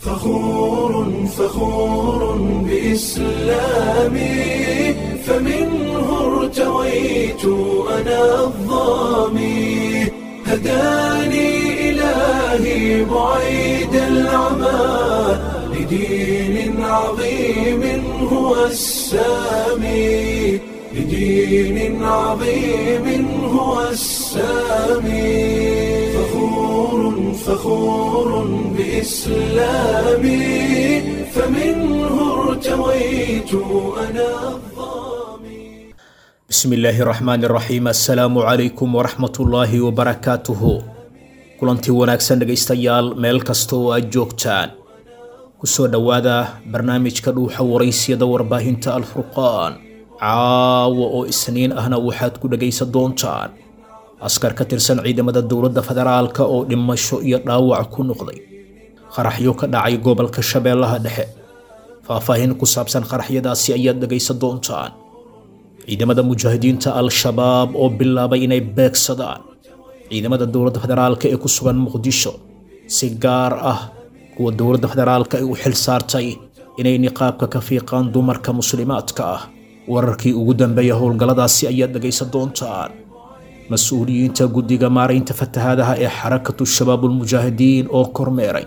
فخور فخور بإسلامي، فمنه ارتويت أنا الظامي، هداني إلهي بعيد العمى لدين عظيم هو السامي، لدين عظيم هو السامي. فخور فخور بإسلامي، فمنه ارتويت أنا الظامي. Bismi illaahi raxmaani raxiim, assalaamu calaykum waraxmatullaahi wabarakaatuhu. Kulantii wanaagsan dhegaystayaal, meel kasta oo aad joogtaan, kusoo dhowaada barnaamijka Dhuuxa Waraysiyada warbaahinta Alfurqaan. Caawa oo Isniin ahna waxaad ku dhegaysan doontaan askar ka tirsan ciidamada dowladda federaalka oo dhimasho iyo dhaawac ku noqday qaraxyo ka dhacay gobolka Shabeellaha Dhexe. Faahfaahin ku saabsan qaraxyadaasi ayaad dhegaysan doontaan. Ciidamada Mujaahidiinta Al-Shabaab oo bilaabay inay beegsadaan ciidamada dowladda federaalka ee ku sugan Muqdisho, si gaar ah kuwa dowladda federaalka ay u xil saartay inay niqaabka ka fiiqaan dumarka muslimaadka ah. Wararkii ugu dambeeya howlgalladaasi ayaad dhegaysan doontaan. Mas-uuliyiinta guddiga maaraynta fatahaadaha ee Xarakatu Shabaabulmujaahidiin oo kormeeray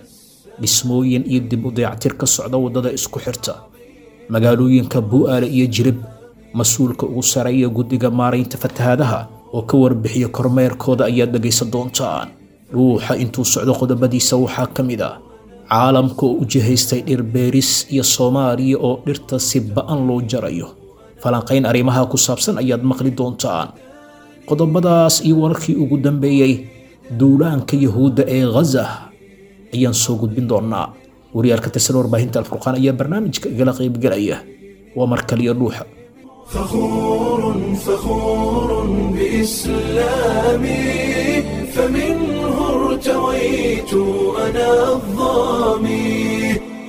dhismooyin iyo dib u dayactir ka socda waddada isku xirta magaalooyinka Bu'aale iyo Jirib. Mas-uulka ugu sareeya guddiga maaraynta fatahaadaha oo ka warbixiya kormeerkooda ayaad dhegaysan doontaan. Dhuuxa intuu socdo qodobadiisa waxaa ka mid ah caalamka oo u jihaystay dhir beeris iyo Soomaaliya oo dhirta si ba'an loo jarayo. Falanqayn arrimaha ku saabsan ayaad maqli doontaan. Qodobadaas iyo wararkii ugu dambeeyey duulaanka Yahuudda ee Ghaza ayaan soo gudbin doonaa. Wariyaal ka tirsan warbaahinta Alfurqaan ayaa barnaamijka igala qaybgelaya. Waa mar kaliya Dhuuxa. فخور فخور بإسلامي، فمنه ارتويت أنا الظامي،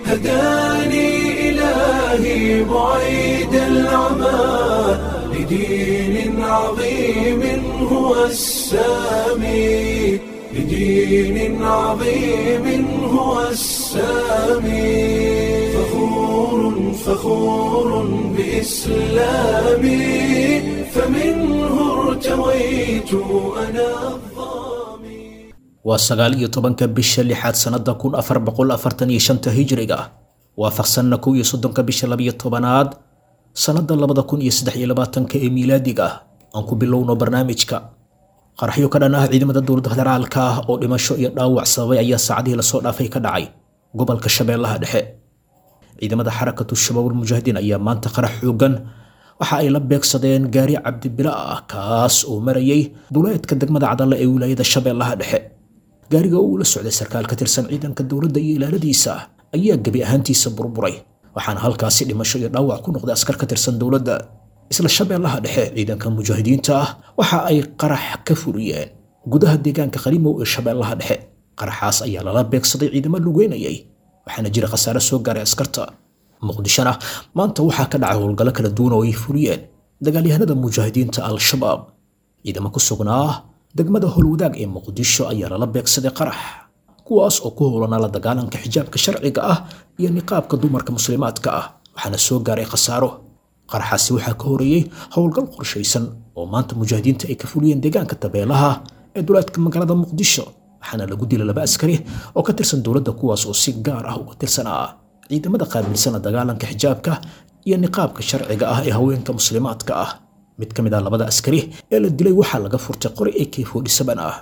هداني إلهي بعيد العمى لدين عظيم هو السامي، لدين عظيم هو السامي. فخور فخور بإسلامي، فمنه ارتويت أنا الظامي. Waa 19-ka bisha lixaad sannada 1445-ta hijriga, waafaqsanna 31-ka bisha 12-aad sannada 2023-ka ee miilaadiga. Aan ku bilowno barnaamijka. Qaraxyo ka dhan ah ciidamada dowladda federaalka ah oo dhimasho iyo dhaawac sababay ayaa saacadihii lasoo dhaafay ka dhacay gobolka Shabeellaha Dhexe. Ciidamada Xarakatu Shabaabulmujaahidiin ayaa maanta qarax xoogan waxa ay la beegsadeen gaari cabdibila ah, kaas oo marayay duleedka degmada Cadalle ee wilaayada Shabeellaha Dhexe. Gaariga oo uu la socday sarkaal ka tirsan ciidanka dowladda iyo ilaaladiisa ayaa gebi ahaantiisa burburay, waxaana halkaasi dhimasho iyo dhaawac ku noqday askar ka tirsan dowladda. Isla Shabeellaha Dhexe, ciidanka mujaahidiinta ah waxa ay qarax ka fuliyeen gudaha deegaanka Qalimow ee Shabeellaha Dhexe. Qaraxaas ayaa lala beegsaday ciidamo lugeynayay, waxaana jira khasaare soo gaaray askarta. Muqdishona maanta waxaa ka dhacay howlgallo kala duwan oo ay fuliyeen dagaalyahanada Mujaahidiinta Al-Shabaab. Ciidamo ku sugnaa degmada Howlwadaag ee Muqdisho ayaa lala beegsaday qarax, kuwaas oo ku howlanaa la dagaalanka xijaabka sharciga ah iyo niqaabka dumarka muslimaadka ah, waxaana soo gaaray khasaaro. Qaraxaasi waxaa ka horeeyey howlgal qorshaysan oo maanta mujaahidiinta ay ka fuliyeen deegaanka Tabeelaha ee duleedka magaalada Muqdisho, waxaana lagu dilay laba askari oo ka tirsan dowladda, kuwaas oo si gaar ah uga tirsanaa ciidamada qaabilsan la dagaalanka xijaabka iyo niqaabka sharciga ah ee haweenka muslimaadka ah. Mid ka mid ah labada askari ee la dilay waxaa laga furtay qori AK-47 ah.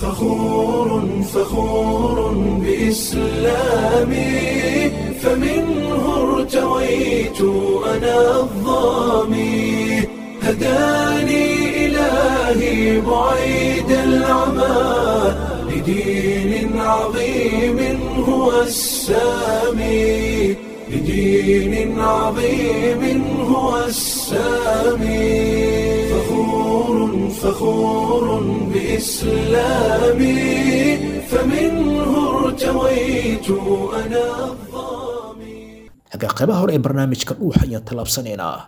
فخور فخور بإسلامي، فمنه ارتويت أنا الظامي، هداني إلهي بعيد العمى لدين عظيم هو السامي، لدين عظيم هو السامي. فخور فخور بإسلامي، فمنه ارتويت أنا الظامي. Hagaa, qaybaha hore ee barnaamijka Dhuuxa ayaan tallaabsanaynaa.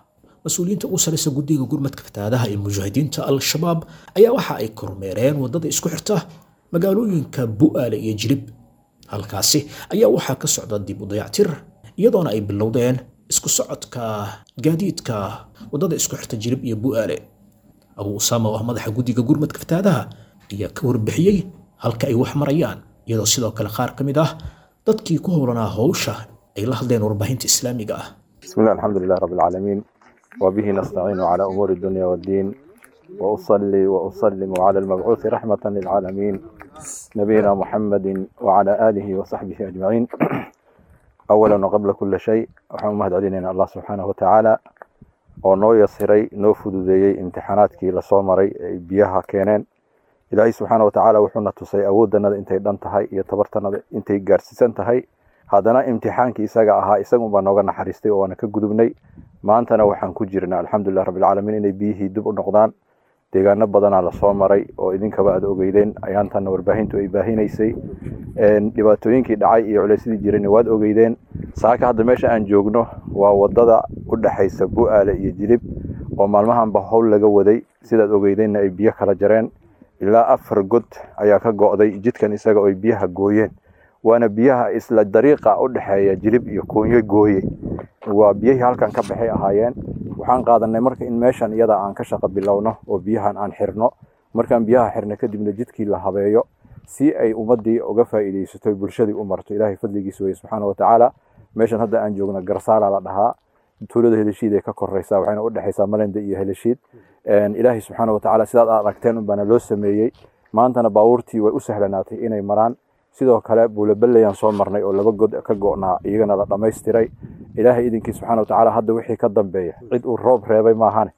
Mas-uuliyiinta ugu sarreysa guddiga gurmadka fatahaadaha ee Mujaahidiinta Al-Shabaab ayaa waxa ay kormeereen waddada isku xirta magaalooyinka Bu'aale iyo Jilib. Halkaasi ayaa waxaa ka socda dib u dayactir, iyadoona ay bilowdeen isku socodka gaadiidka waddada isku xirta Jilib iyo Bu'aale. Abu Usaama oo ah madaxa guddiga gurmadka fatahaadaha ayaa ka warbixiyey halka ay wax marayaan, iyadoo sidoo kale qaar ka mid ah dadkii ku howlanaa howsha ay la hadleen warbaahinta islaamiga ah. بسم الله، الحمد لله رب العالمين، وبه نستعين على أمور الدنيا والدين، وأصلي وأسلم على المبعوث رحمة للعالمين، نبينا محمد وعلى آله وصحبه أجمعين. أولا وقبل كل شيء، waxaan u mahadcelinaynaa Allah subxaanahu watacaala oo noo yasiray, noo fududeeyey imtixaanaadkii lasoo maray ay biyaha keeneen. Ilaahay subxaana watacaala wuxuuna tusay awooddanada intay dhan tahay iyo tabartanada intay gaarsiisan tahay. Haddana imtixaankii isaga ahaa isagunbaa nooga naxariistay oo waana ka gudubnay. Maantana waxaan ku jirnaa, alxamdulilah rabbilcaalamiin, inay biyihii dib u noqdaan. Deegaano badanaa lasoo maray oo idinkaba aad ogeydeen, ayaantanna warbaahintu ay baahinaysay. Dhibaatooyinkii dhacay iyo culeysyadii jirayna waad ogeydeen. Saaka hadda meesha aan joogno waa wadada u dhexaysa Bu'aale iyo Jilib oo maalmahanba howl laga waday. Sidaad ogeydeenna ay biyo kala jareen, ilaa 4 god ayaa ka go'day jidkan isaga oo ay biyaha gooyeen, waana biyaha isla dariiqa u dhexeeya Jilib iyo Koonyo gooye, waa biyihii halkan ka baxay ahaayeen. Waxaan qaadanay marka in meeshan iyada aan ka shaqo bilowno oo biyahan aan xirno. Markaan biyaha xirno kadibna jidkii la habeeyo si ay ummaddii uga faa'iidaysato, bulshadii u marto. Ilaahay fadligiisa weye subxaana watacaala. Meeshan hadda aan joogno Garsaala la dhahaa, tuulada Heleshiid ay ka koreysaa, waxayna u dhexaysaa Malenda iyo Heleshiid. Ilaahay subxaana watacaala sidaad aad aragteen unbaana loo sameeyey. Maantana baabuurtii way u sahlanaatay inay maraan. Sidoo kale Buulaballayaan soo marnay oo 2 god ka go'naa, iyagana la dhammaystiray. Ilaahay idinkii subxaana watacaala hadda wixii ka dambeeya cid uu roob reebay maahane,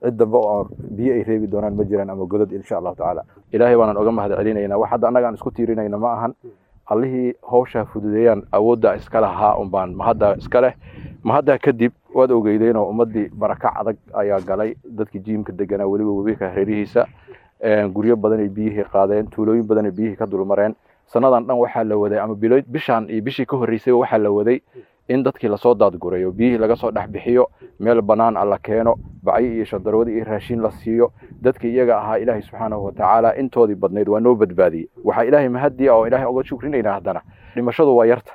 cid dambe oo biyo ay reebi doonaan ma jiraan ama godad, insha Allahu tacaala. Ilaahay baanaan oga mahad celinaynaa. Wax hadda annaga aan isku tiirinayna ma ahan, allihii hawshaa fududeeyaan awooddaa iska lahaa unbaan mahaddaa iska leh. Mahaddaa kadib waad ogeydeenoo ummaddii barakac adag ayaa galay. Dadkii jiimka deganaa, weliba webiga hareerihiisa, guryo badan ay biyihii qaadeen, tuulooyin badan ay biyihii ka dulmareen. Sannadan dhan waxaa la waday, ama bilo bishaan iyo bishii ka horreysayba waxaa la waday in dadkii lasoo daadgurayo, biyihii laga soo dhex bixiyo, meel bannaan a la keeno, bacyo iyo shandarwada iyo raashin la siiyo. Dadkii iyaga ahaa Ilaahay subxaanahu watacaala intoodii badnayd waa noo badbaadiyey. Waxaa Ilaahay mahadiya oo Ilaahay uga shukrinaynaa, haddana dhimashadu waa yarta,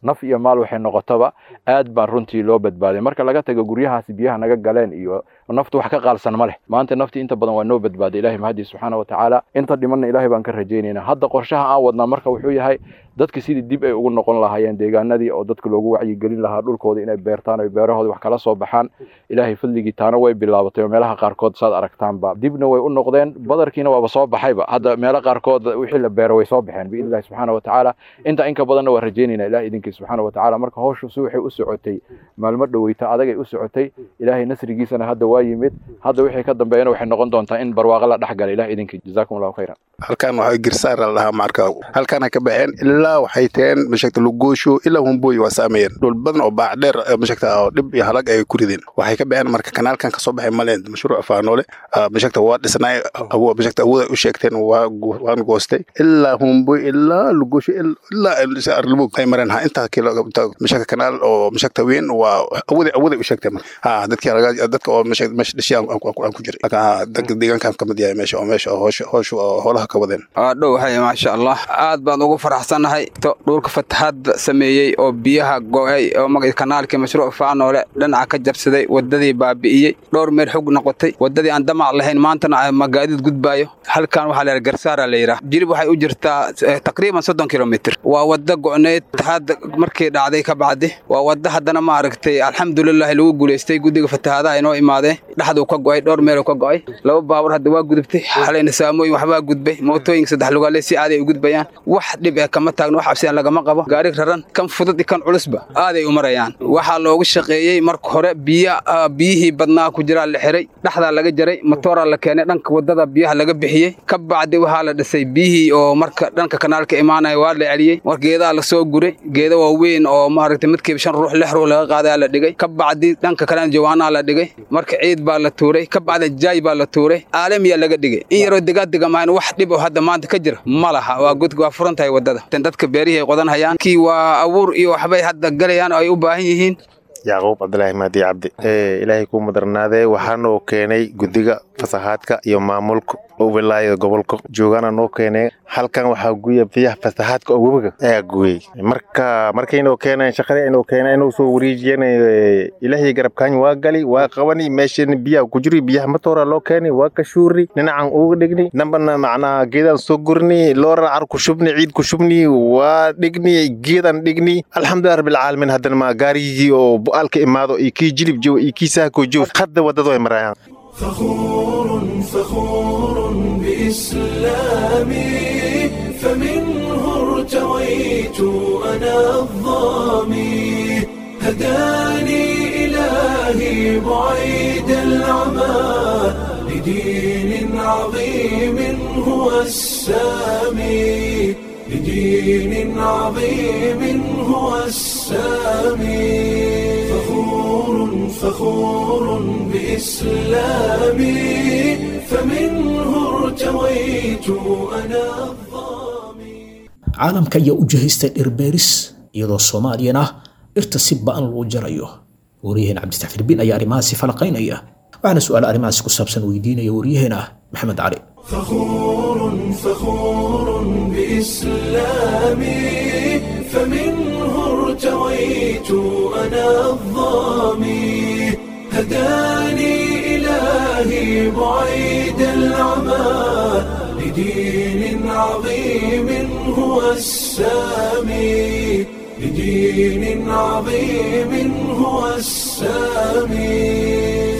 naf iyo maal waxay noqotaba aad baan runtii loo badbaaday. Marka laga tago guryahaasi biyaha naga galeen iyo naftu wax ka qaalsan ma leh. Maanta naftii inta badan waa noo badbaaday, Ilaahay mahadii subxaana watacaala. Inta dhimanna Ilaahay baan ka rajaynaynaa. Hadda qorshaha aan wadnaa marka wuxuu yahay dadka sidii dib ay ugu noqon lahaayeen deegaanadii oo dadka loogu wacyigelin lahaa dhulkooda inay beertaan oo beerahooda wax kala soo baxaan. Ilaahay fadligii taana way bilaabatay oo meelaha qaarkood saad aragtaanba dibna way u noqdeen, badarkiina waaba soo baxayba. Hadda meelo qaarkood wixii la beero way soo baxeen biidnillahi subxaana watacaala. Inta inka badanna waa rajaynaynaa Ilahay idinkii subxaana watacaala. Marka hawshu si waxay u socotay maalmo dhoweyta adagay u socotay, Ilaahay nasrigiisana hadda waa yimid. Hadda wixii ka dambeeyana waxay noqon doontaa in barwaaqo la dhex galay, Ilahay idinkii. Jazaakum Allahu khayran. Halkan waxaa Girsaar la dhahaa. Marka halkaana ka baxeen ilaa waxay teen mashagta Lugoosho ilaa Humboy, waa saameeyeen dhul badan oo baac dheer mashagta oo dhib iyo halag ay ku rideen. Waxay ka baxeen marka kanaalkan kasoo baxay Maleen, mashruuc Faanoole mashagta waa dhisnay, mashagta awooda u sheegteen waan goostay ilaa Humboy ilaa Lugoosho ilaa Arlabug ay mareen. Ha intaa kilo mashagta kanaal oo mashagta weyn waa awooda u sheegteen. Marka ha dadkii dadka oo meesha dhashay aan ku jiray, dadka deegaankan ka mid yahay meesha oo meesha howsha oo howlaha ka wadeen. Dhow waxay maasha Allah, aad baan ugu faraxsanahay dhulka fatahaad sameeyey oo biyaha go'ay oo kanaalkii mashruuc Faanoole dhinaca ka jabsaday, wadadii baabi'iyey, dhowr meel xog noqotay, wadadii aan damac lahayn maantana magaadiid gudbaayo. Halkan waxaa la yidhaha Garsaara la yidhaha, Jilib waxay u jirtaa taqriiban 30 kilomitir. Waa wadda go'neyd fatahaadda markii dhacday ka bacdi. Waa wadda haddana ma aragtay, alxamdulilaahi, lagu guulaystay. Guddiga fatahaadaha inoo imaadeen, dhexduu ka go'ay, dhowr meeluu ka go'ay. 2 baabuur hadda waa gudubtay xalayna, saamooyin waxbaa gudbay, mootooyinka saddex lugaale si aaday u gudbayaan. Wax dhib eh kama taagno, wax cabsi aan lagama qabo. Gaari raran kan fudud iyo kan culusba aaday u marayaan. Waxaa loogu shaqeeyey marka hore biya biyihii badnaa ku jiraa la xiray, dhexdaa laga jaray, matooraa la keenay, dhanka wadada biyaha laga bixiyey. Ka bacdi waxaa la dhisay biyihii oo marka dhanka kanaalka imaanaya waa la celiyey. Mar geedaha lasoo guray, geeda waaweyn oo maaragtay midkiiba 5 ruux 6 ruux laga qaadaa la dhigay. Ka bacdi dhanka kalena jawaanaa la dhigay, marka ciid baa la tuuray, ka bacdi jaay baa la tuuray, aalamiyaa laga dhigay. In yaroo degaadega maahan, wax dhib oo hadda maanta ka jira ma laha. Waa god, waa furan tahay wadada. Dadka beerihii ay qodan hayaan kii waa abuur iyo waxbay hadda galayaan oo ay u baahan yihiin. Yacquub Cabdilaahi Maadi Cabdi, Ilaahay kuu madarnaadee, waxaanoo keenay guddiga fasahaadka iyo maamulka Oo wilaayada gobolka joogaana noo keeneen. Halkan waxaa guya biyaha fatahaadka oo webiga ayaa gooyey. Marka markaynoo keeneen shaqada inoo keeneen inuu soo wareejiyeen, ilaahay garabkaan waa gali waa qabani. Meeshan biyaha ku jiri, biyaha matoora loo keenay, waa ka shuuri, dhinacan uga dhigni dambana, macnaha geedaan soo gurni, loora car ku shubni, ciid ku shubni, waa dhigni, geedaan dhigni. Alxamdulilah rabbil caalamiin. Haddana ma gaarigii oo bu'aalka imaado iyo kii jilib joogo iyo kii saako joogo hadda waddada way marayaan. فخور فخور بإسلامي، فمنه ارتويت أنا الظامي، هداني إلهي بعيد العمى لدين عظيم هو السامي، لدين عظيم هو السامي. فخور فخور بإسلامي، فمنه ارتويت أنا الظامي. Caalamka ayaa u jihaystay dhirbeeris, iyadoo Soomaaliyana dhirta si ba'an loo jarayo. Wariyaheen Cabditax Filbiin ayaa arrimahaasi falaqaynaya, waxaana su'aalo arrimahaasi ku saabsan weydiinaya wariyaheena Maxamed Cali. فخور فخور بإسلامي، فمنه ارتويت أنا الظامي، هداني إلهي بعيد العمى لدين عظيم هو السامي، لدين عظيم هو السامي.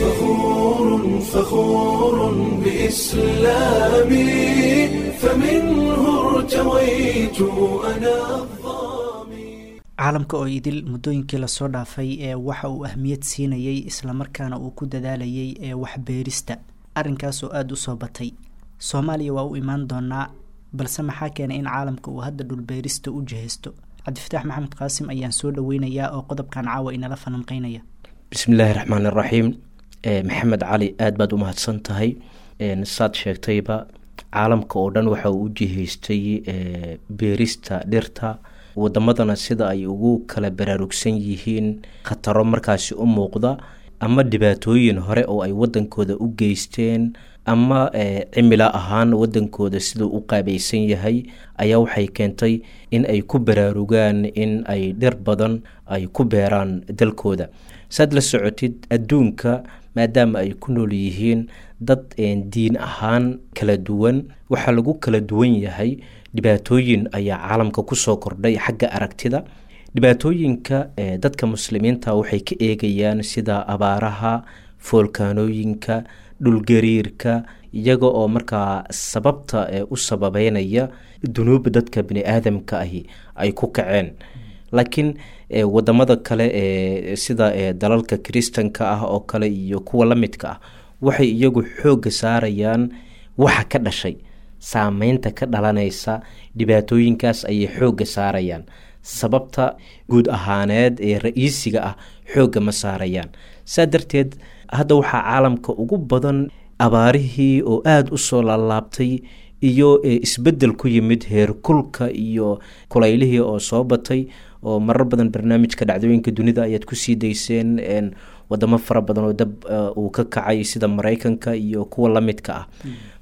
فخور فخور بإسلامي، فمنه ارتويت أنا الظامي. Caalamka oo idil muddooyinkii lasoo dhaafay ee waxa uu ahmiyad siinayay islamarkaana uu ku dadaalayay ee waxbeerista, arrinkaas oo aada u soo batay. Soomaaliya waa u imaan doonaa, balse maxaa keenay in caalamka uu hadda dhulbeerista u jihaysto? Cabdifataax Maxamed Qaasim ayaan soo dhaweynayaa oo qodobkan caawa inala falanqeynaya. Bismillaahi raxmaan iraxiim. Maxamed Cali, aada baad u mahadsan tahay. Saad sheegtayba, caalamka oo dhan waxa uu u jihaystay beerista dhirta, wadamadana sida ay ugu kala baraarugsan yihiin khataro markaasi u muuqda ama dhibaatooyin hore oo ay wadankooda u geysteen ama cimilo ahaan wadankooda siduu u qaabaysan yahay ayaa waxay keentay in ay ku baraarugaan in ay dhir badan ay ku beeraan dalkooda. Saad la socotid, adduunka maadaama ay ku nool yihiin dad diin ahaan kala duwan, waxaa lagu kala duwan yahay dhibaatooyin ayaa caalamka kusoo kordhay xagga aragtida. Dhibaatooyinka dadka muslimiinta waxay ka eegayaan sida abaaraha, foolkaanooyinka, dhulgariirka, iyaga oo markaa sababta u sababeynaya dunuubba dadka bini aadamka ahi ay ku kaceen. Laakiin wadamada kale ee sida dalalka kiristanka ah oo kale iyo kuwa la midka ah waxay iyagu xoogga saarayaan waxa ka dhashay, saameynta ka dhalanaysa dhibaatooyinkaas ayay xoogga saarayaan. Sababta guud ahaaneed ee ra-iisiga ah xoogga ma saarayaan. Saa darteed hadda waxaa caalamka ugu badan abaarihii oo aada u soo laalaabtay iyo isbeddel ku yimid heerkulka iyo kulaylihii oo soo batay, oo marar badan barnaamijka dhacdooyinka dunida ayaad kusii dayseen wadamo fara badan oo dab uu ka kacay sida Maraykanka iyo kuwa la midka ah.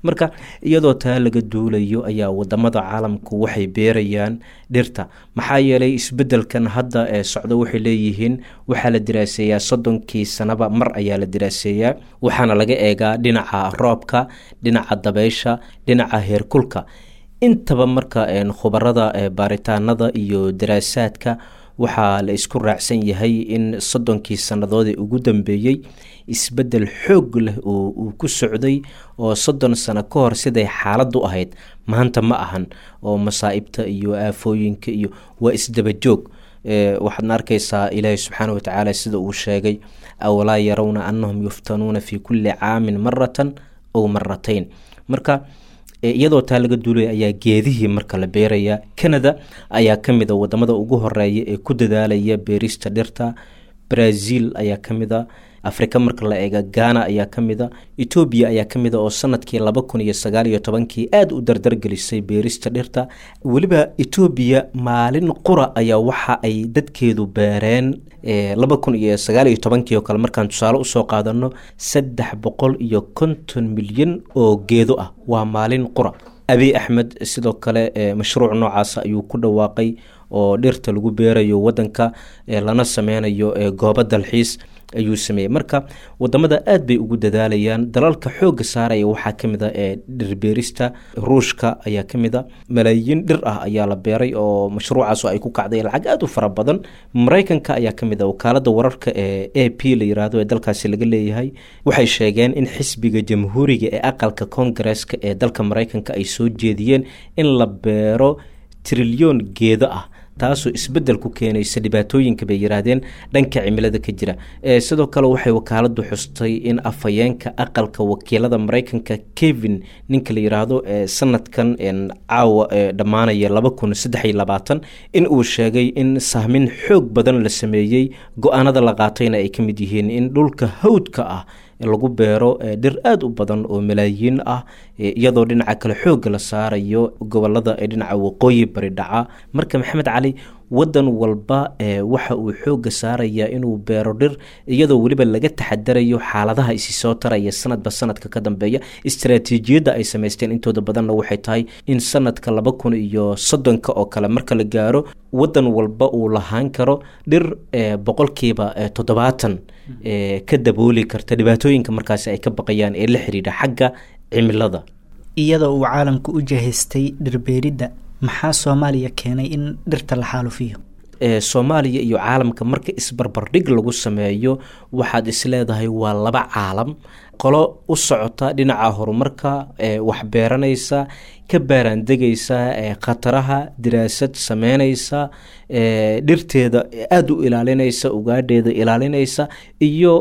Marka iyadoo taa laga duulayo ayaa wadamada caalamku waxay beerayaan dhirta, maxaa yeelay isbedelkan hadda ee socdo waxay leeyihiin waxaa la diraaseeyaa 30kii sanaba mar ayaa la diraaseeyaa, waxaana laga eegaa dhinaca roobka, dhinaca dabeysha, dhinaca heerkulka, intaba. Marka khubarada baaritaanada iyo daraasaadka waxaa la isku raacsan yahay in 30kii sannadood ee ugu dambeeyey isbeddel xoog leh oo uu ku socday, oo 30 sano ka hor siday xaaladdu ahayd maanta ma ahan, oo masaa'ibta iyo aafooyinka iyo waa isdabajoog. Waxaadna arkaysaa Ilaahi subxaana watacaala sida uu sheegay: awalaa yarawna annahum yuftanuuna fi kulli caamin maratan ow maratayn. Marka iyadoo taa laga duulaya ayaa geedihii marka la beeraya. Canada ayaa ka mid a wadamada ugu horeeya ee ku dadaalaya beerista dhirta, Brazil ayaa ka mid a, Afrika marka la eega Ghana ayaa ka mid a, Etoobiya ayaa ka mid a oo sanadkii 2019kii aada u dardargelisay beerista dhirta. Weliba Etoobiya maalin qura ayaa waxa ay dadkeedu beereen 2019kii oo kale, markaan tusaale usoo qaadano, 350 milyan oo geedo ah, waa maalin qura. Abiy Axmed sidoo kale mashruuc noocaas ayuu ku dhawaaqay oo dhirta lagu beerayo wadanka, lana sameynayo goobo dalxiis ayuu sameeyey. Marka wadamada aad bay ugu dadaalayaan. Dalalka xoogga saaraya waxaa ka mid a ee dhirbeerista Ruushka ayaa ka mid a, malaayiin dhir ah ayaa la beeray oo mashruucaas oo ay ku kacday lacag aada u fara badan. Maraykanka ayaa ka mid a. Wakaalada wararka ee AP la yiraahdo ee dalkaasi laga leeyahay waxay sheegeen in xisbiga Jamhuuriga ee aqalka Koongareeska ee dalka Maraykanka ay soo jeediyeen in la beero trilyoon geedo ah, taasoo isbedel ku keenaysa dhibaatooyinka, bay yiraahdeen, dhanka cimilada ka jira. Sidoo kale waxay wakaaladu xustay in afhayeenka aqalka wakiilada Maraykanka, Kevin ninka la yiraahdo, sanadkan caawa dhammaanaya 2023 in uu sheegay in sahmin xoog badan la sameeyey, go-aanada la qaatayna ay ka mid yihiin in dhulka hawdka ah lagu beero dhir aada u badan oo malaayiin ah, iyadoo dhinaca kale xoogga la saarayo gobolada ee dhinaca waqooyi bari dhaca. Marka Maxamed Cali, wadan walba waxa uu xoogga saarayaa inuu beero dhir, iyadoo weliba laga taxadarayo xaaladaha isi soo taraya sanadba sanadka ka dambeeya. Istaraatiijiyadda ay samaysteen intooda badanna waxay tahay in sanadka 2030ka oo kale marka la gaaro, wadan walba uu lahaan karo dhir 70% ka dabooli karta dhibaatooyinka markaasi ay ka baqayaan ee la xiriidha xagga cimilada. Iyadoo uu caalamku u jahaystay dhirbeeridda, maxaa Soomaaliya keenay in dhirta la xaalufiyo? Soomaaliya iyo caalamka marka isbarbardhig lagu sameeyo, waxaad isleedahay waa laba caalam: qolo u socota dhinaca horumarka, wax beeranaysa, ka baaraandegaysa khataraha, diraasad sameynaysa, dhirteeda aada u ilaalinaysa, ugaadheeda ilaalinaysa, iyo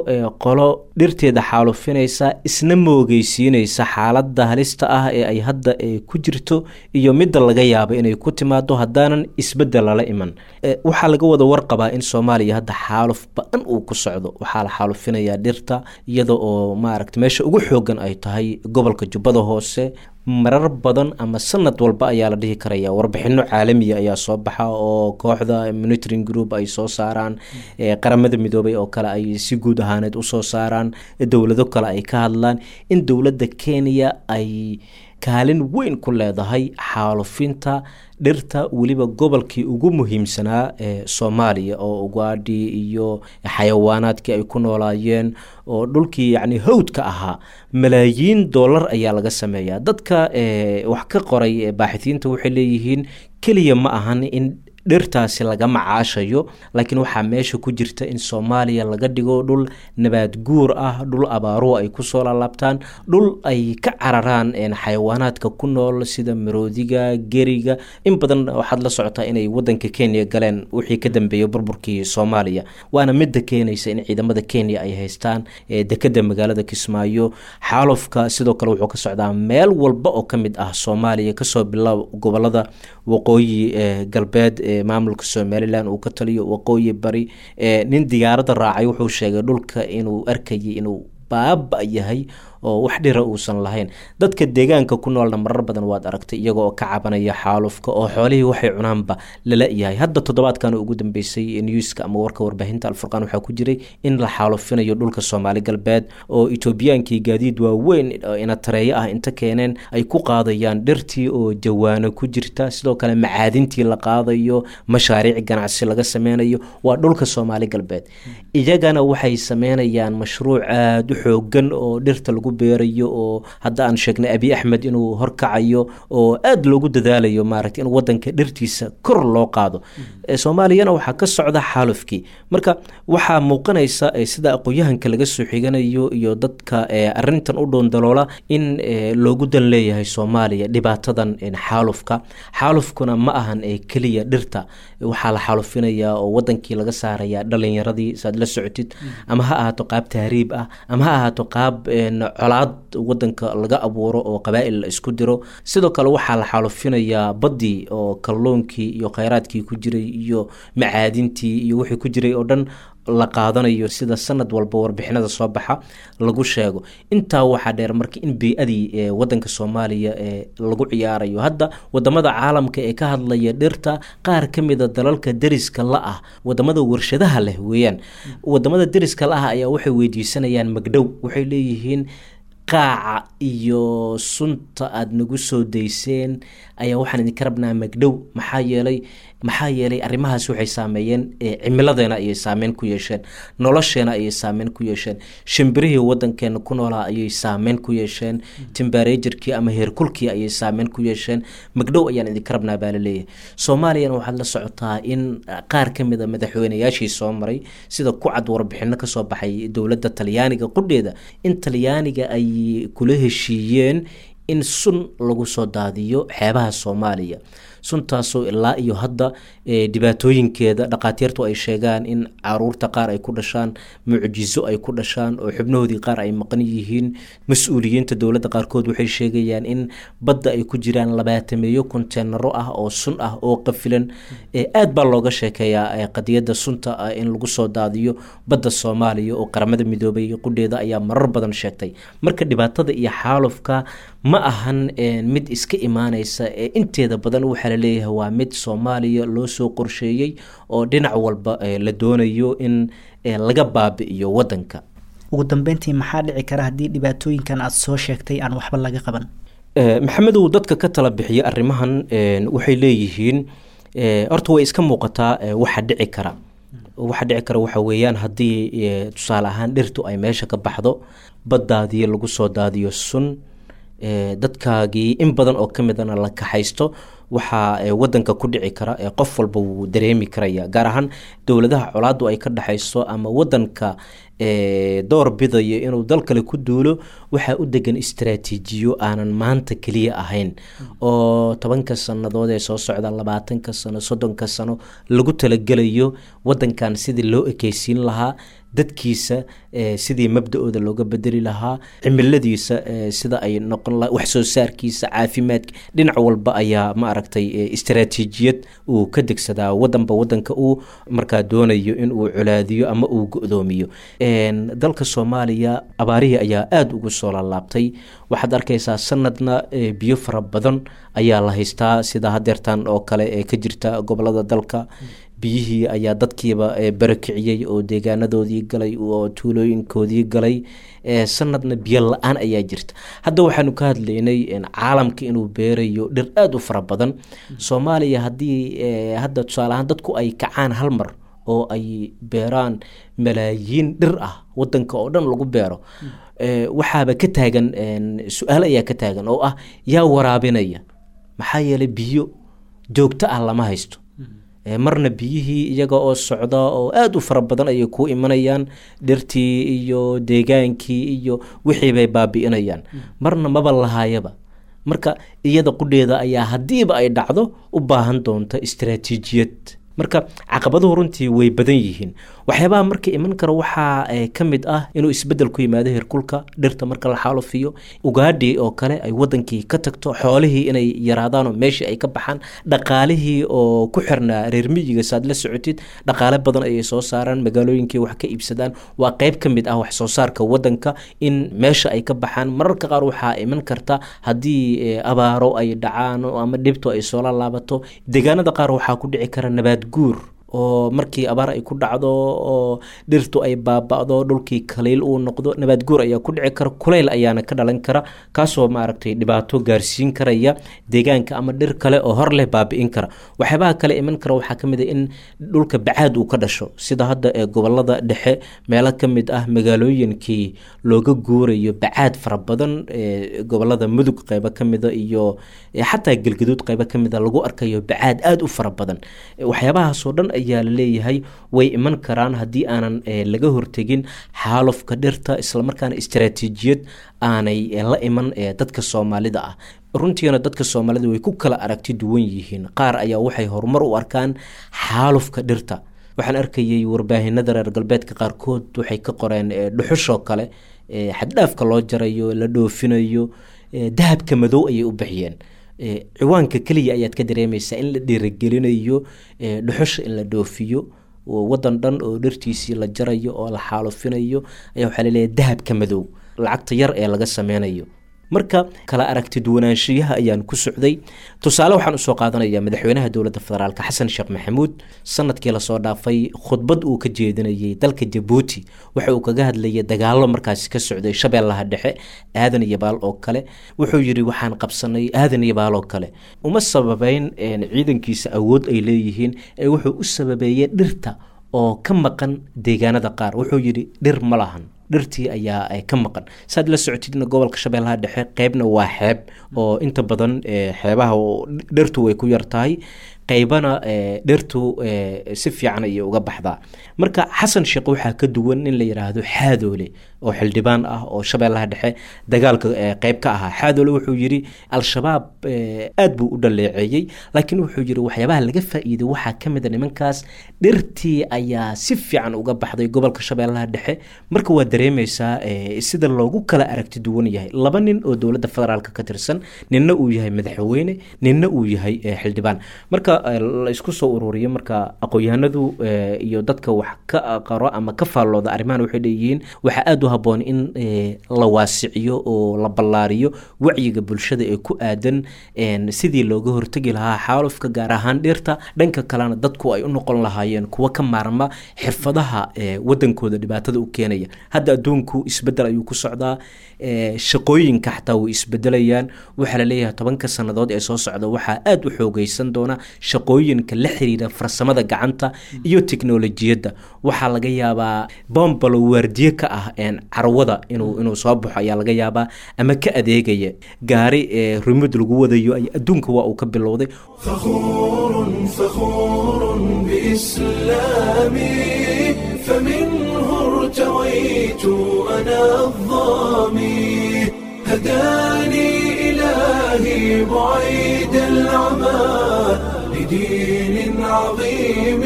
qolo dhirteeda xaalufinaysa, isna moogeysiinaysa xaaladda halista ah ee ay hadda ku jirto iyo midda laga yaabo inay ku timaado haddaanan isbeddel lala iman. Waxaa laga wada warqabaa in Soomaaliya hadda xaaluf ba-an uu ku socdo. Waxaa la xaalufinayaa dhirta, iyada oo maaragta meesha ugu xoogan ay tahay gobolka Jubbada Hoose. Marar badan ama sanad walba ayaa la dhihi karaya warbixino caalamiya ayaa soo baxa oo kooxda monitoring group ay soo saaraan, Qaramada Midoobay oo kale ay si guud ahaaneed usoo saaraan, dowlado kale ay ka hadlaan in dowladda Kenya ay kaalin weyn ku leedahay xaalufinta dhirta, weliba gobolkii ugu muhiimsanaa ee Soomaaliya oo ugaadhii iyo xayawaanaadkii ay ku noolaayeen oo dhulkii yacni hawdka ahaa. Malaayiin dollar ayaa laga sameeyaa. Dadka wax ka qoray baaxitiinta waxay leeyihiin keliya ma ahan in dhirtaasi laga macaashayo, laakiin waxaa meesha ku jirta in Soomaaliya laga dhigo dhul nabaad guur ah, dhul abaaruhu ay kusoo laalaabtaan, dhul ay ka cararaan xayawaanaadka ku nool sida maroodiga, geriga. In badan waxaad la socotaa inay wadanka Kenya galeen wixii ka dambeeyay burburkii Soomaaliya, waana midda keenaysa in ciidamada Kenya ay haystaan dekeda magaalada Kismaayo. Xaalufka sidoo kale wuxuu ka socdaa meel walba oo ka mid ah Soomaaliya, kasoo bilaab gobolada waqooyi galbeed maamulka Somalilan uu ka taliyo, waqooyi bari. Nin diyaaradda raacay wuxuu sheegay dhulka inuu arkayay inuu baaba yahay oo wax dhira uusan lahayn. Dadka deegaanka ku noolna marar badan waad aragtay iyaga oo ka cabanaya xaalufka oo xoolihii waxay cunaanba lala yahay. Hadda toddobaadkan ugu dambeysay newska ama warka warbaahinta Alfurqaan waxaa ku jiray in la xaalufinayo dhulka Soomaali Galbeed oo Etoobiyaankii gaadiid waaweyn inatareeyo ah inta keeneen ay ku qaadayaan dhirtii oo jawaano ku jirta, sidoo kale macaadintii la qaadayo, mashaariic ganacsi laga sameynayo. Waa dhulka Soomaali Galbeed. Iyagana waxay sameynayaan mashruuc aada u xoogan oo dhirta lagu beerayo, oo hadda aan sheegnay Abiy Axmed inuu horkacayo, oo aada loogu dadaalayo maaragtay in wadanka dhirtiisa kor loo qaado. Soomaaliyana waxaa ka socda xaalufkii. Marka waxaa muuqanaysa, sida aqoon-yahanka laga soo xiganayo iyo dadka arintan u dhoondaloola, in loogu dan leeyahay Soomaaliya dhibaatadan xaalufka. Xaalufkuna ma ahan keliya dhirta. Waxaa la xaalufinayaa oo wadankii laga saarayaa dhalinyaradii, saad la socotid, ama ha ahaato qaab tahriib ah ama ha ahaato qaab colaad wadanka laga abuuro oo qabaa'il la isku diro. Sidoo kale waxaa la xaalufinayaa baddii oo kalluunkii iyo kheyraadkii ku jiray iyo macaadintii iyo wixii ku jiray oo dhan. la qaadanayo sida sanad walba warbixinada soo baxa lagu sheego. Intaa waxaa dheer marka in bey-adii wadanka Soomaaliya lagu ciyaarayo. Hadda wadamada caalamka ee ka hadlaya dhirta, qaar ka mida dalalka deriska la ah, wadamada warshadaha leh weeyaan, wadamada deriska la ah ayaa waxay weydiisanayaan magdhow. Waxay leeyihiin qaaca iyo sunta aada nagu soo dayseen ayaa waxaan idinka rabnaa magdhow, maxaa yeelay arrimahaas waxay saameeyeen cimiladeena ayay saameyn ku yeesheen, nolosheena ayay saameyn ku yeesheen, shimbirihii wadankeena ku noolaa ayay saameyn ku yeesheen, timbareejirkii ama heerkulkii ayay saameyn ku yeesheen, magdhow ayaan idinka rabnaa baa laleeyahay. Soomaaliyana waxaad la socotaa in qaar ka mid a madaxweynayaashii soo maray, sida ku cad warbixino kasoo baxay dowladda Talyaaniga qudheeda, in Talyaaniga ay kula heshiiyeen in sun lagu soo daadiyo xeebaha Soomaaliya, suntaasoo ilaa iyo hadda dhibaatooyinkeeda dhaqaatiirtu ay sheegaan in caruurta qaar ay ku dhashaan mucjizo ay ku dhashaan oo xubnahoodii qaar ay maqan yihiin. Mas-uuliyiinta dowladda qaarkood waxay sheegayaan in badda ay ku jiraan 20-meeyo konteenaro ah oo sun ah oo qafilan. Aad baa looga sheekeeyaa qadiyadda sunta ah in lagu soo daadiyo badda Soomaaliya, oo Qaramada Midoobay qudheeda ayaa marar badan sheegtay. Marka dhibaatada iyo xaalufka ma ahan mid iska imaaneysa ee inteeda badan waxaa laleeyahay waa mid Soomaaliya loo soo qorsheeyey oo dhinac walba la doonayo in laga baabi'iyo wadanka. Ugu dambeyntii, maxaa dhici kara haddii dhibaatooyinkan aada soo sheegtay aan waxba laga qaban? Maxamedow, dadka ka tala bixiya arrimahan waxay leeyihiin horta way iska muuqataa waxa dhici kara. Waxa dhici kara waxa weeyaan haddii tusaale ahaan dhirtu ay meesha ka baxdo, baddaadii lagu soo daadiyo sun, dadkaagii in badan oo ka midana la kaxaysto, waxaa wadanka ku dhici kara qof walba wuu dareemi karaya, gaar ahaan dowladaha colaadu ay ka dhexayso ama wadanka door bidayo inuu dal kale ku duulo. Waxaa u degan istaraatiijiyo aanan maanta keliya ahayn oo 10-ka sannadood ee soo socda, 20-ka sano, 30-ka sano lagu talagelayo wadankan sidii loo ekeysiin lahaa, dadkiisa sidii mabda-ooda looga bedeli lahaa, cimiladiisa sida ay noqon laha, wax soo saarkiisa, caafimaadka, dhinac walba ayaa ma aragtay istaraatiijiyad uu ka degsadaa wadanba wadanka uu markaa doonayo in uu colaadiyo ama uu go-doomiyo. Dalka Soomaaliya abaarihii ayaa aada ugu soo laalaabtay. Waxaad arkaysaa sanadna biyo fara badan ayaa la haystaa, sida hadeertan oo kale ee ka jirta gobolada dalka. Biyihii ayaa dadkiiba barakiciyey oo deegaanadoodii galay oo tuulooyinkoodii galay. Sanadna biyo la-aan ayaa jirta. Hadda waxaanu ka hadlaynay caalamka inuu beerayo dhir aada u fara badan. Soomaaliya haddii hadda tusaale ahaan dadku ay kacaan hal mar oo ay beeraan malaayiin dhir ah, wadanka oo dhan lagu beero, waxaaba ka taagan su-aal ayaa ka taagan oo ah yaa waraabinaya? Maxaa yeelay biyo joogto ah lama haysto. Marna biyihii iyaga oo socda oo aada u fara badan ayay ku imanayaan, dhirtii iyo deegaankii iyo wixii bay baabi'inayaan, marna maba lahaayaba. Marka iyada qudheeda ayaa haddiiba ay dhacdo u baahan doonta istaraatiijiyad. Marka caqabaduhu runtii way badan yihiin. Waxyaabaha marka iman kara waxaa ka mid ah inuu isbedel ku yimaado heerkulka dhirta marka la xaalufiyo, ugaadhii oo kale ay wadankii ka tagto, xoolihii inay yaraadaan oo meeshii ay ka baxaan, dhaqaalihii oo ku xirnaa reer miyiga. Saad la socotid, dhaqaale badan ayay soo saaraan, magaalooyinkii wax ka iibsadaan, waa qeyb ka mid ah wax soo saarka wadanka in meesha ay ka baxaan. Mararka qaar waxaa iman karta haddii abaaro ay dhacaan ama dhibto ay soo laalaabato, deegaanada qaar waxaa ku dhici kara nabaad guur, oo markii abaar ay ku dhacdo oo dhirtu ay baaba'do, dhulkii kaliil uu noqdo, nabaad guur ayaa ku dhici kara, kulayl ayaana ka dhalan kara, kaasoo maaragtay dhibaato gaarsiin karaya deegaanka ama dhir kale oo hor leh baabi'in kara. Waxyaabaha kale iman kara waxaa ka mid ah in dhulka bacaad uu ka dhasho, sida hadda ee gobolada dhexe meelo ka mid ah magaalooyinkii looga guurayo bacaad fara badan, ee gobolada Mudug qeybo ka mida iyo xataa Galgaduud qeybo ka mida lagu arkayo bacaad aada u fara badan. Waxyaabahaasoo dhan ayaa laleeyahay way iman karaan haddii aanan laga hortegin xaalufka dhirta, islamarkaana istaraatiijiyad aanay la iman dadka Soomaalida ah. Runtiina dadka Soomaalida way ku kala aragti duwan yihiin. Qaar ayaa waxay horumar u arkaan xaalufka dhirta. Waxaan arkayay warbaahinada reer galbeedka qaarkood waxay ka qoreen dhuxushoo kale xaddhaafka loo jarayo, la dhoofinayo, dahabka madow ayay u bixiyeen. Ciwaanka keliya ayaad ka dareemaysaa in la dhiirigelinayo dhuxusha in la dhoofiyo. Wadan dhan oo dhirtiisii la jarayo oo la xaalufinayo ayaa waxaa laleeyahay dahabka madow, lacagta yar ee laga sameynayo. Marka kala aragti duwanaanshiyaha ayaan ku socday. Tusaale waxaan usoo qaadanayaa madaxweynaha dowladda federaalka Xasan Sheekh Maxamuud, sanadkii lasoo dhaafay khudbad uu ka jeedinayay dalka Jabuuti waxa uu kaga hadlayay dagaalo markaasi ka socday Shabeellaha Dhexe, Aadan iyo Baal oo kale. Wuxuu yidhi waxaan qabsanay Aadan iyo Baal oo kale. Uma sababeyn ciidankiisa awood ay leeyihiin, ee wuxuu u sababeeyey dhirta oo ka maqan deegaanada qaar. Wuxuu yidhi dhir ma lahan, dhirtii ayaa ka maqan. Saad la socotidna gobolka Shabeellaha Dhexe qeybna waa xeeb oo inta badan xeebaha dhirtu way ku yar tahay, qeybana dhirtu si fiican ayay uga baxdaa. Marka Xasan Sheekh waxaa ka duwan in la yidhaahdo Xaadoole oo xildhibaan ah oo Shabeellaha Dhexe dagaalka qeyb ka ahaa. Xaadoole wuxuu yidhi Al-Shabaab aad buu u dhaleeceeyey, laakiin wuxuu yidhi waxyaabaha laga faa'iiday waxaa ka mid a nimankaas dhirtii ayaa si fiican uga baxday gobolka Shabeellaha Dhexe. Marka waa dareemeysaa sida loogu kala aragti duwan yahay laba nin oo dowladda federaalka ka tirsan, ninna uu yahay madaxweyne, ninna uu yahay xildhibaan. Marka la isku soo ururiyo, marka aqoon-yahanadu iyo dadka wax ka qaro ama ka faallooda arrimahan waxay leeyihiin waxaa aada u habboon in la waasiciyo oo la ballaariyo wacyiga bulshada ee ku aadan sidii looga hortegi lahaa xaalufka, gaar ahaan dhirta. Dhanka kalena dadku ay u noqon lahaayeen kuwa ka maarma xirfadaha wadankooda dhibaatada u keenaya. Hadda adduunku isbedel ayuu ku socdaa, shaqooyinka xataa way isbedelayaan. Waxaa laleeyahay 10-ka sannadood ee soo socda waxaa aada u xoogeysan doona shaqooyinka la xiriira farsamada gacanta iyo teknolojiyadda. Waxaa laga yaabaa bombalo waardiye ka ah carwada inuu soo baxo ayaa laga yaabaa, ama ka adeegaya gaari remote lagu wadayo. Adduunka waa uu ka bilowday. فخور فخور بإسلامي، فمنه ارتويت أنا الظامي، هداني إلهي بعيد العمى لدين عظيم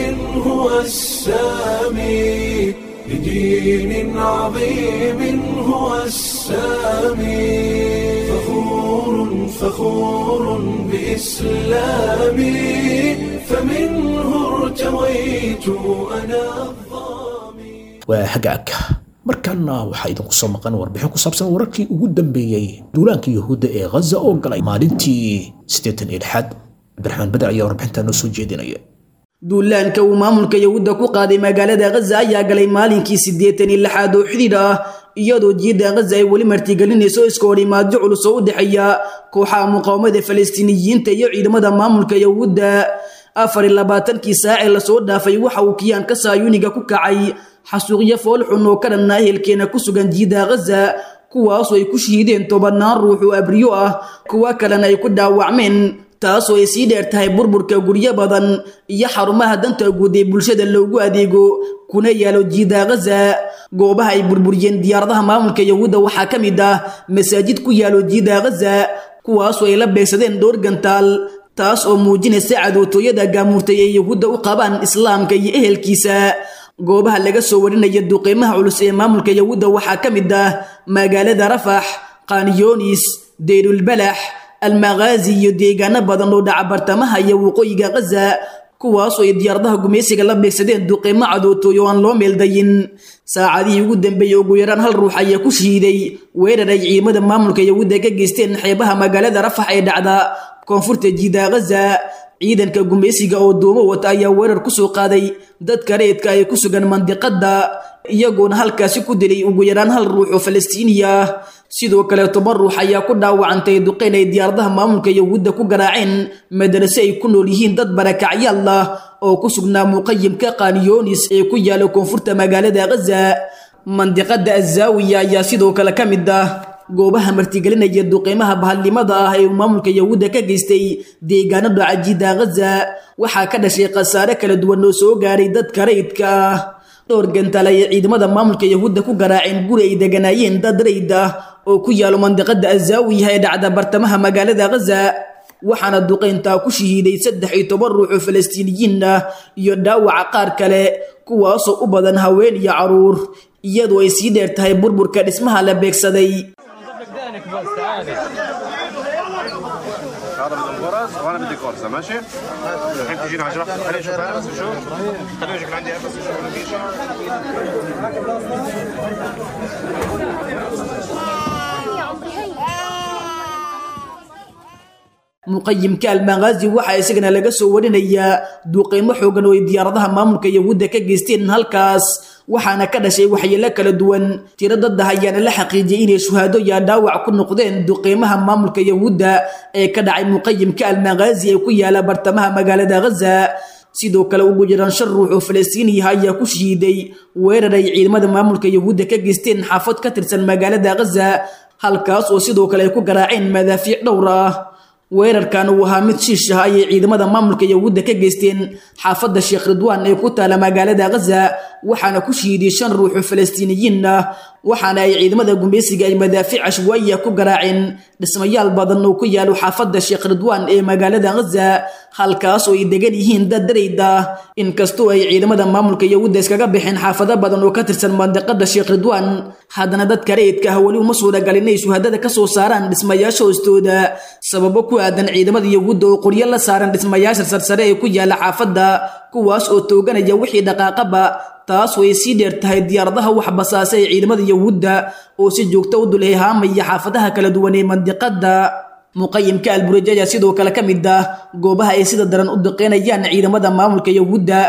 هو السامي، لدين عظيم هو السامي. فخور فخور بإسلامي، فمنه ارتويت أنا الظامي. Waa hagaag, markaana waxaa idinku soo maqan warbixin ku saabsan wararkii ugu dambeeyey duulaanka Yuhuudda ee Ghaza oo galay maalintii 86aad. Cabdiraxmaan Badar ayaa warbixintaa noo soo jeedinaya. Duulaanka uu maamulka Yahuudda ku qaaday magaalada Ghaza ayaa galay maalinkii 86aad oo xidhiidh ah, iyadoo jiidda Ghaza ay weli martigelinayso iska horimaadyo culus oo u dhexeeya kooxaha muqaawamada Falastiiniyiinta iyo ciidamada maamulka Yahuudda. 24-kii saac ee lasoo dhaafay waxa uu kiyaanka saayuniga ku kacay xasuuqyo foolxun oo ka dhanna ehelkeena ku sugan jiidda Ghaza, kuwaasoo ay ku shahiideen tobannaan ruux oo abriyo ah, kuwa kalena ay ku dhaawacmeen, taasoo ay sii dheer tahay burburka guryo badan iyo xarumaha danta guud ee bulshada loogu adeego kuna yaalo jiidda Ghaza. Goobaha ay burburiyeen diyaaradaha maamulka Yahuudda waxaa ka mid ah masaajid ku yaalo jiidda Ghaza, kuwaasoo ay la beegsadeen dhowr gantaal, taas oo muujinaysa cadowtooyada gaamurtay ee Yahuudda u qabaan islaamka iyo ehelkiisa. Goobaha laga soo warinaya duqeymaha culus ee maamulka Yahuudda waxaa ka mid ah magaalada Rafax, Qaniyoonis, Deyrulbalax, Almaghaazi iyo deegaano badan oo dhaca bartamaha iyo waqooyiga Ghaza, kuwaasoo ay diyaaradaha gumaysiga la beegsadeen duqeymo cadowtooy oo aan loo meeldayin. Saacadihii ugu dambeeyey ugu yaraan hal ruux ayaa ku shahiiday weerar ay ciidamada maamulka Yahuudda ka geysteen xeebaha magaalada Rafax ee dhacda koonfurta jiidda Ghaza. Ciidanka gumaysiga oo duumo wata ayaa weerar ku soo qaaday dadka rayidka ay ku sugan mandiqada, iyagoona halkaasi ku dilay ugu yaraan hal ruux oo Falastiini ah. Sidoo kale 10 ruux ayaa ku dhaawacantay duqeyn ay diyaaradaha maamulka Yahuudda ku garaaceen madarase ay ku nool yihiin dad barakacyaal ah oo ku sugnaa muqayimka Qaniyoonis ee ku yaala koonfurta magaalada Ghaza. Mandiqada Azaawiya ayaa sidoo kale ka mid ah goobaha martigelinaya duqeymaha bahalnimada ah ee uu maamulka Yahuudda ka geystay deegaano dhaca jiidda Ghaza. Waxaa ka dhashay khasaare kala duwan oo soo gaaray dadka rayidka ah. Dhowr gantaal ayay ciidamada maamulka Yahuudda ku garaaceen guri ay deganaayeen dad rayid ah oo ku yaalo mandiqada Azaawiya ee dhacda bartamaha magaalada Ghaza, waxaana duqeyntaa ku shahiiday 13 ruux oo Falastiiniyiin ah iyo dhaawaca qaar kale, kuwaasoo u badan haween iyo caruur, iyadoo ay sii dheer tahay burburka dhismaha la beegsaday. هذا من الغرز. وانا بدي قرصه ماشي؟ الحين تجينا 10 خليني اشوف انا بس شو خليني اشوف عندي بس شو ولا في شيء. Muqayimka Almaqaazi waxaa isagana laga soo warinayaa duqeymo xoogan oo ay diyaaradaha maamulka Yahuudda ka geysteen halkaas, waxaana ka dhashay waxyeelo kala duwan. Tiro dad ah ayaana la xaqiijiyay inay shuhaado iyo dhaawac ku noqdeen duqeymaha maamulka Yahuudda ee ka dhacay muqayimka Almaqaazi ee ku yaala bartamaha magaalada Gaza. Sidoo kale ugu jiraan 5 ruux oo Falastiini ah ayaa ku shahiiday weerar ay ciidamada maamulka Yahuudda ka geysteen xaafad ka tirsan magaalada Gaza, halkaas oo sidoo kale ay ku garaaceen madaafiic dhowr ah. Weerarkan uu ahaa mid shiish ah ayay ciidamada maamulka Yahuudda ka geysteen xaafadda Sheekh Ridwaan ee ku taala magaalada Gaza, waxaana ku shahiiday 5 ruux oo Falastiiniyiin ah, waxaana ay ciidamada gumeysiga ay madaafiic cashwaayi ah ku garaaceen dhismayaal badan oo ku yaalo xaafadda Sheekh Ridwaan ee magaalada Gaza, halkaas oo ay degan yihiin dad darayd ah. Inkastoo ay ciidamada maamulka Yahuudda iskaga bixeen xaafado badan oo ka tirsan mandiqada Sheekh Ridwaan, haddana dadka rayidka ah weli uma suuragalin inay shuhadada ka soo saaraan dhismayaasha hoostooda, sababo ku aadan ciidamada Yahuudda oo qoryo la saaran dhismayaasha sarsare ee ku yaala xaafadda, kuwaas oo tooganaya wixii dhaqaaqaba. Taas way sii dheer tahay diyaaradaha wax basaasa ee ciidamada Yahuudda oo si joogto u dul heehaamaya xaafadaha kala duwan ee mandiqada. Muqayimka Albureej ayaa sidoo kale ka mid ah goobaha ay sida daran u duqeynayaan ciidamada maamulka Yahuudda.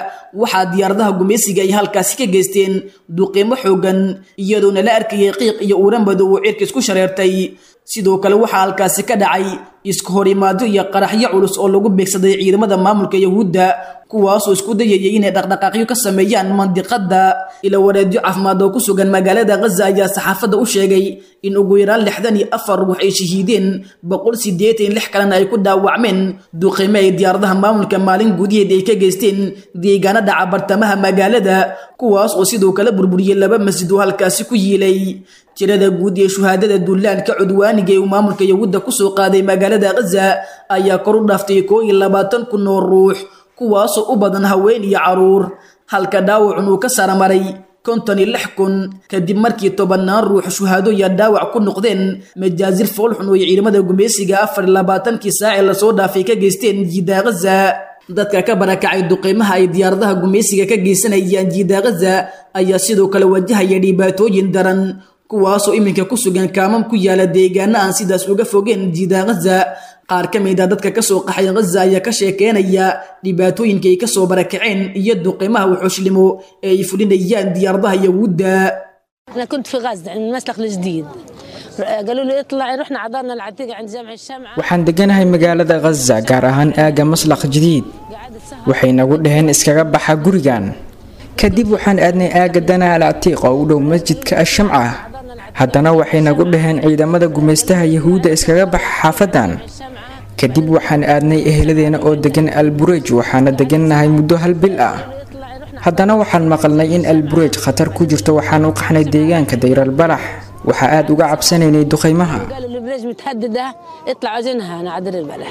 Waxaa diyaaradaha gumeysiga ay halkaasi ka geysteen duqeymo xoogan, iyadoona la arkayay qiiq iyo uura madow oo cirka isku shareertay. Sidoo kale waxaa halkaasi ka dhacay isku horimaadyo iyo qaraxyo culus oo lagu beegsaday ciidamada maamulka Yahuudda, kuwaasoo isku dayayay inay dhaqdhaqaaqyo ka sameeyaan mandiqada. Ila wareedyo caafimaad oo ku sugan magaalada Gaza ayaa saxaafadda u sheegay in ugu yaraan 64 ruux ay shahiideen, 186 kalena ay ku dhaawacmeen duqeymo ay diyaaradaha maamulka maalin gudaheed ay ka geysteen deegaanada bartamaha magaalada, kuwaas oo sidoo kale burburiyay 2 masjid oo halkaasi ku yiilay. Tirada guud ee shuhaadada duulaanka cudwaaniga ee uu maamulka Yahuudda ku soo qaaday magaalada Gaza ayaa kor u dhaaftay 21,000 oo ruux, kuwaasoo u badan haween iyo caruur, halka dhaawacun uu ka saramaray 56,000 kadib markii 10 ruux shuhaado iyo dhaawac ku noqdeen majaazir foolxun oo ay ciidamada gumeysiga 24kii saac ee lasoo dhaafay ka geysteen jiida Gaza. Dadka ka barakacay duqeymaha ay diyaaradaha gumeysiga ka geysanayaan jiida Gaza ayaa sidoo kale wajahaya dhibaatooyin daran, kuwaasoo iminka ku sugan kaamam ku yaala deegaano aan sidaas uga fogeen jiida Gaza. Qaar ka mid ah dadka ka soo qaxay Gaza ayaa ka sheekeynaya dhibaatooyinka ay ka soo barakaceen iyo duqeymaha wuxuushlimo ee ay fulinayaan diyaaradaha Yahuudda. أنا كنت في غزة عند المسلخ الجديد، قالوا لي اطلعي، رحنا عضلنا العتيقة عند جامع الشمعة. Waxaan deganahay magaalada Gaza, gaar ahaan aagga Maslakh Jadiid. Waxay nagu dhaheen iskaga baxa gurigan. Kadib waxaan aadnay aagga Dana al-Atiq oo u dhow masjidka Ash-Shamca. Haddana waxay nagu dhaheen ciidamada gumeystaha Yahuudda iskaga baxa xaafadan. Kadib waxaan aadnay eheladeena oo degan Al-Bureej, waxaana degannahay muddo 1 bil ah. Haddana waxaan maqalnay in Al-Bureej khatar ku jirto, waxaan u qaxnay deegaanka Dayr al-Balax. Waxaa aad uga cabsanaynay duqeymaha. قالوا البريج متهددة، اطلعوا جنها أنا على دير البلح.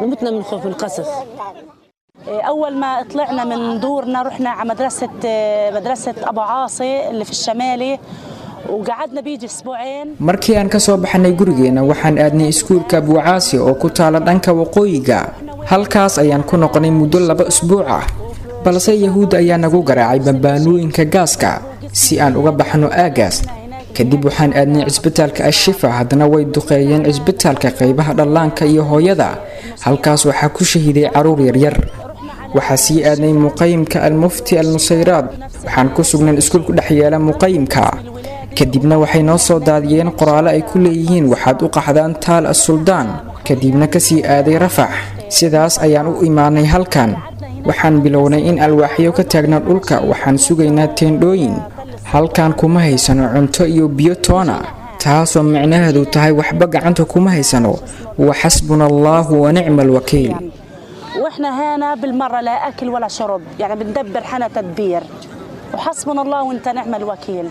متنا من خوف القصف. أول ما طلعنا من دورنا رحنا على مدرسة أبو عاصي اللي في الشمالي، وقعدنا بيجي أسبوعين. Markii aan ka soo baxnay gurigeena waxaan aadnay iskuulka Abu Caasi oo ku taala dhanka waqooyiga. Halkaas ayaan ku noqonay muddo 2 usbuuc ah, balse Yahuud ayaa nagu garaacay bambaanooyinka gaaska si aan uga baxno aagaas. Kadib waxaan aadnay cisbitaalka Ashifa, haddana way duqeeyeen cisbitaalka qaybaha dhallaanka iyo hooyada. Halkaas waxaa ku shahiiday caruur yaryar. Waxaa sii aadnay muqayimka Al-Mufti Al-Nusayraad. Waxaan ku sugnay iskuulku dhex yaala muqayimka. Kadibna waxay noo soo daadiyeen qoraalo ay ku leeyihiin waxaad u qaxdaan Taal As-Suldaan. Kadibna ka sii aaday Rafax. Sidaas ayaan u imaanay halkan. Waxaan bilownay in alwaaxyo ka taagna dhulka, waxaan sugaynaa teendhooyin. Halkan kuma haysano cunto iyo biyo toona, taasoo micnaheedu tahay waxba gacanta kuma haysano. Wa xasbuna Allahu wa nicma alwakiil. واحنا هنا بالمرة لا أكل ولا شرب، يعني بندبر حنا تدبير، وحسبنا الله وانت نعم الوكيل.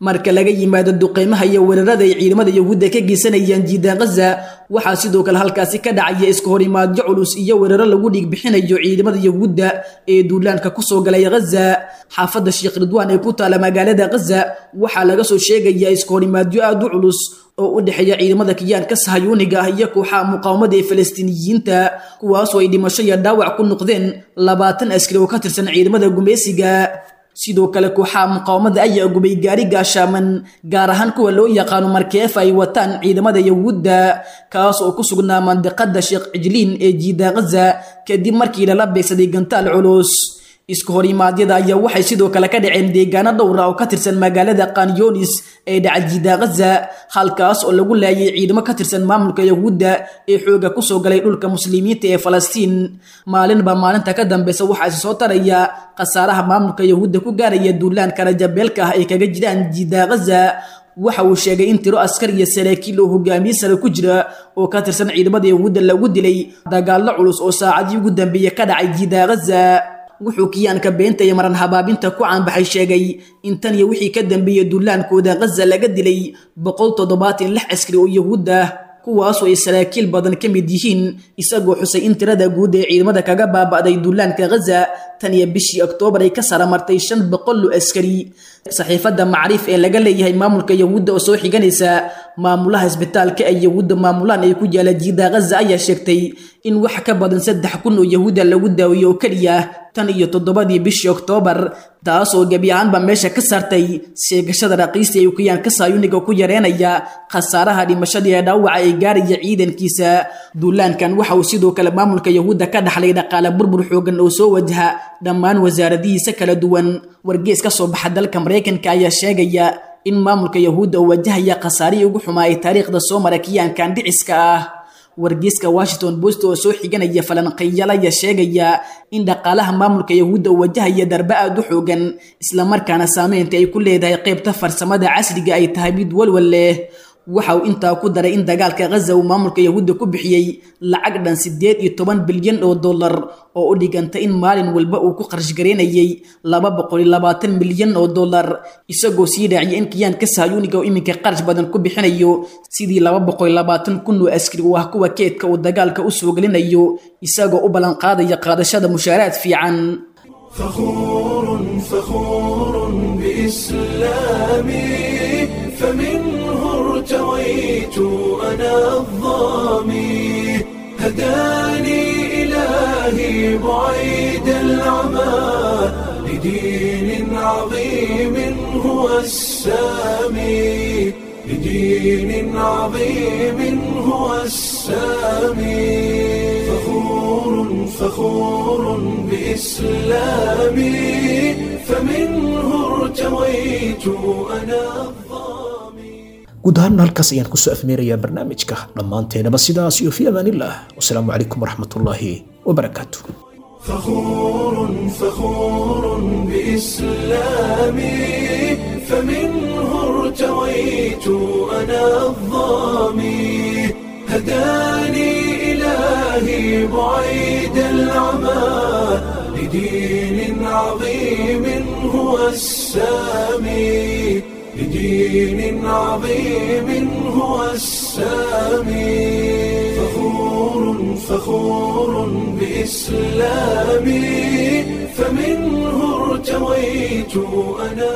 Marka laga yimaado duqeymaha iyo weerarada ay ciidamada Yahuudda ka geysanayaan jiida Gaza, waxaa sidoo kale halkaasi ka dhacaya iska horimaadyo culus iyo weeraro lagu dhiig bixinayo ciidamada Yahuudda ee duulaanka kusoo galay Gaza. Xaafadda Sheekh Ridwaan ee ku taala magaalada Gaza waxaa laga soo sheegayaa iska horimaadyo aad u culus oo u dhexeeya ciidamada kiyaanka sahayuuniga ah iyo kooxaha muqaawamada ee Falastiiniyiinta, kuwaasoo ay dhimasho iyo dhaawac ku noqdeen 20 askari oo ka tirsan ciidamada gumeysiga. Sidoo kale kooxaha muqaawamada ayaa gubay gaari gaashaaman, gaar ahaan kuwa loo yaqaano markeef ay wataan ciidamada Yahuudda, kaas oo ku sugnaa mandiqada Sheekh Cijliin ee jiida Gaza kadib markii lala beegsaday gantaal culus. Isku horimaadyada ayaa waxay sidoo kale ka dhaceen deegaano dhowr ah oo ka tirsan magaalada Qanyonis ee dhaca jiida Gaza, halkaas oo lagu laayay ciidamo ka tirsan maamulka Yahuudda ee xooga ku soo galay dhulka muslimiinta ee Falastiin. Maalinba maalinta ka dambeysa waxaa is soo taraya khasaaraha maamulka Yahuudda ku gaaraya duulaanka rajabeelka ah ee kaga jiraan jiida Gaza. Waxa uu sheegay in tiro askar iyo saraakiil oo hogaamiye sare ku jira oo ka tirsan ciidamada Yahuudda lagu dilay dagaallo culus oo saacadii ugu dambeeyay ka dhacay jiida Gaza. Wuxuu kiyaanka beenta iyo maran habaabinta ku caanbaxay sheegay in tan iyo wixii ka dambeeyay duulaankooda Gaza laga dilay 176 askari oo Yahuud ah, kuwaasoo ay saraakiil badan ka mid yihiin, isagoo xusay in tirada guud ee ciidamada kaga baaba'day duulaanka Gaza tan iyo bishii Oktoobar ay ka saramartay 500 askari. Saxiifadda Macriif ee laga leeyahay maamulka Yahuudda oo soo xiganaysa maamulaha isbitaalka ay Yahuudda maamulaan ay ku yaala jiida Gaza ayaa sheegtay in wax ka badan 3000 oo Yahuudda lagu daaweeyo oo keliya tan iyo 7dii bishii Oktoobar, taasoo gebi ahaanba meesha ka saartay sheegashada raqiista ee kiyaanka saayuniga ku yareenaya khasaaraha dhimashada ee dhaawaca ee gaaraya ciidankiisa. Duulaankan waxa uu sidoo kale maamulka Yahuudda ka dhaxlay dhaqaale burbur xoogan oo soo wajaha dhammaan wasaaradihiisa kala duwan. Wargees ka soo baxa dalka Mareykanka ayaa sheegaya in maamulka Yahuudda uu wajahaya khasaarihii ugu xumaa ee taariikhda soo mara kiyaankan dhiciska ah. Wargeyska Washington Post oo soo xiganaya falanqeeyaal ayaa sheegaya in dhaqaalaha maamulka Yahuudda uu wajahaya darbe aad u xoogan, isla markaana saameynta ay ku leedahay qaybta farsamada casriga ay tahay mid walwal leh. Waxa uu intaa ku daray in dagaalka Gaza uu maamulka Yahuudda ku bixiyey lacag dhan 18 bilyan oo dollar, oo u dhiganta in maalin walba uu ku kharash gareynayay 220 milyan oo dollar, isagoo sii raaciyay in kiyaanka sahayuuniga uu iminka qarash badan ku bixinayo sidii 220,000 oo askari oo ah kuwa keedka uu dagaalka u soo gelinayo, isagoo u ballan qaadaya qaadashada mushaaraad fiican. فخور فخور بإسلامي، فمنه ارتويت أنا الظامي، هداني إلهي بعيد العمى لدين عظيم هو السامي، لدين عظيم هو السامي. فخور فخور بإسلامي، فمنه ارتويت أنا. Guud ahaan halkaas ayaan kusoo afmeerayaa barnaamijka dhammaanteenaba, sidaas iyo fi amaanillah, wasalaamu calaykum waraxmatullaahi wabarakaatu. فخور فخور بإسلامي، فمنه ارتويت أنا الظامي، هداني إلهي بعيد العمى لدين عظيم هو السامي، لدين عظيم هو السامي. فخور فخور بإسلامي، فمنه ارتويت أنا.